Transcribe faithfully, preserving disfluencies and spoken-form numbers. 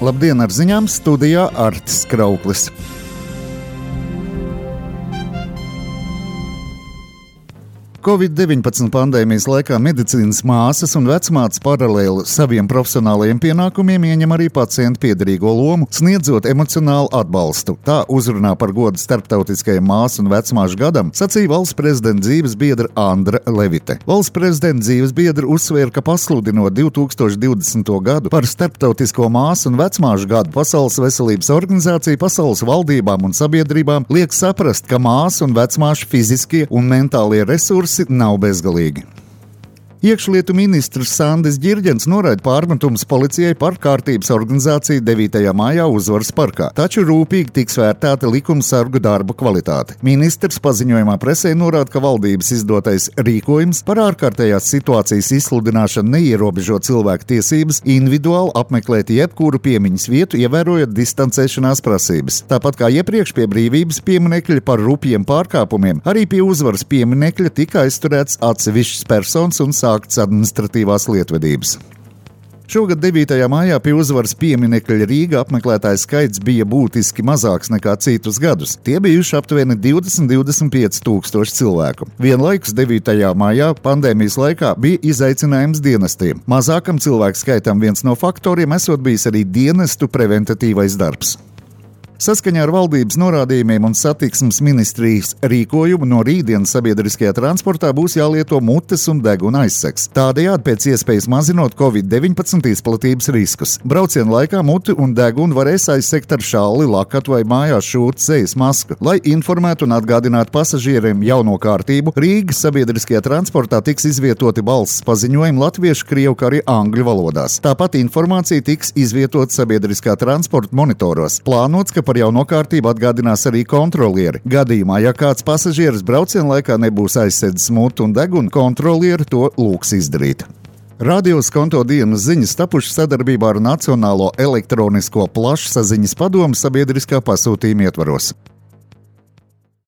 Labdien, ar ziņām studijā Artis Krauklis. covid deviņpadsmit pandēmijas laikā medicīnas māsas un vecmātes paralēli saviem profesionālajiem pienākumiem ieņem arī pacientu piederīgo lomu, sniedzot emocionālu atbalstu. Tā uzrunā par godu starptautiskajam māsu un vecmāšu gadam sacīja valsts prezidenta dzīves biedra Andra Levite. Valsts prezidenta dzīves biedra uzsvēra, ka pasludinot divi tūkstoši divdesmito gadu par starptautisko māsu un vecmāšu gadu, Pasaules veselības organizācija pasaules valdībām un sabiedrībām liek saprast, ka māsu un vecmāšu fiziskie un mentālie resursi nav bezgalīgi. Iekšlietu ministrs Sandis Ģirģens noraida pārmetumus policijai par kārtības organizāciju devītajā mājā Uzvaras parkā, taču rūpīgi tiks vērtēta likumsargu darba kvalitāte. Ministrs paziņojumā presē norāda, ka valdības izdotais rīkojums par ārkārtējās situācijas izsludināšanu neierobežo cilvēku tiesības individuāli apmeklēt jebkuru piemiņas vietu, ievērojot distancēšanās prasības. Tāpat kā iepriekš pie brīvības pieminekļa par rupjiem pārkāpumiem, arī pie Uzvaras pieminekļa tika aizturēts atsevišķas personas un sāktas administratīvās lietvedības. Šogad devītajā mājā pie Uzvaras pieminekļa Rīgā apmeklētāju skaits bija būtiski mazāks nekā citus gadus. Tie bijuši aptuveni divdesmit līdz divdesmit pieci tūkstoši cilvēku. Vienlaikus devītajā mājā pandēmijas laikā bija izaicinājums dienestiem. Mazākam cilvēku skaitam viens no faktoriem esot bijis arī dienestu preventatīvais darbs. Saskaņā ar valdības norādījumiem un satiksmes ministrijas rīkojumu no rītdienas sabiedriskajā transportā būs jālieto mutes un deguna aizsegs. Tādējādi pēc iespējas mazinot covid deviņpadsmit izplatības riskus. Brauciena laikā muti un degunu varēs aizsegt ar šalli, lakatu vai mājās šūtu sejas masku. Lai informētu un atgādinātu pasažieriem jauno kārtību, Rīgas sabiedriskajā transportā tiks izvietoti balss paziņojumi latviešu, krievu, kā arī angļu valodās. Tāpat informācija tiks izvietota sabiedriskā transporta monitoros. Plānots, ka par jauno kārtību atgādinās arī kontrolieri. Gadījumā, ja kāds pasažieris brauciena laikā nebūs aizsedzis mutu un degunu, kontrolieri to lūgs izdarīt. Radio Skonto dienas ziņas tapušas sadarbībā ar Nacionālo elektronisko plašsaziņas padomu sabiedriskā pasūtījuma ietvaros.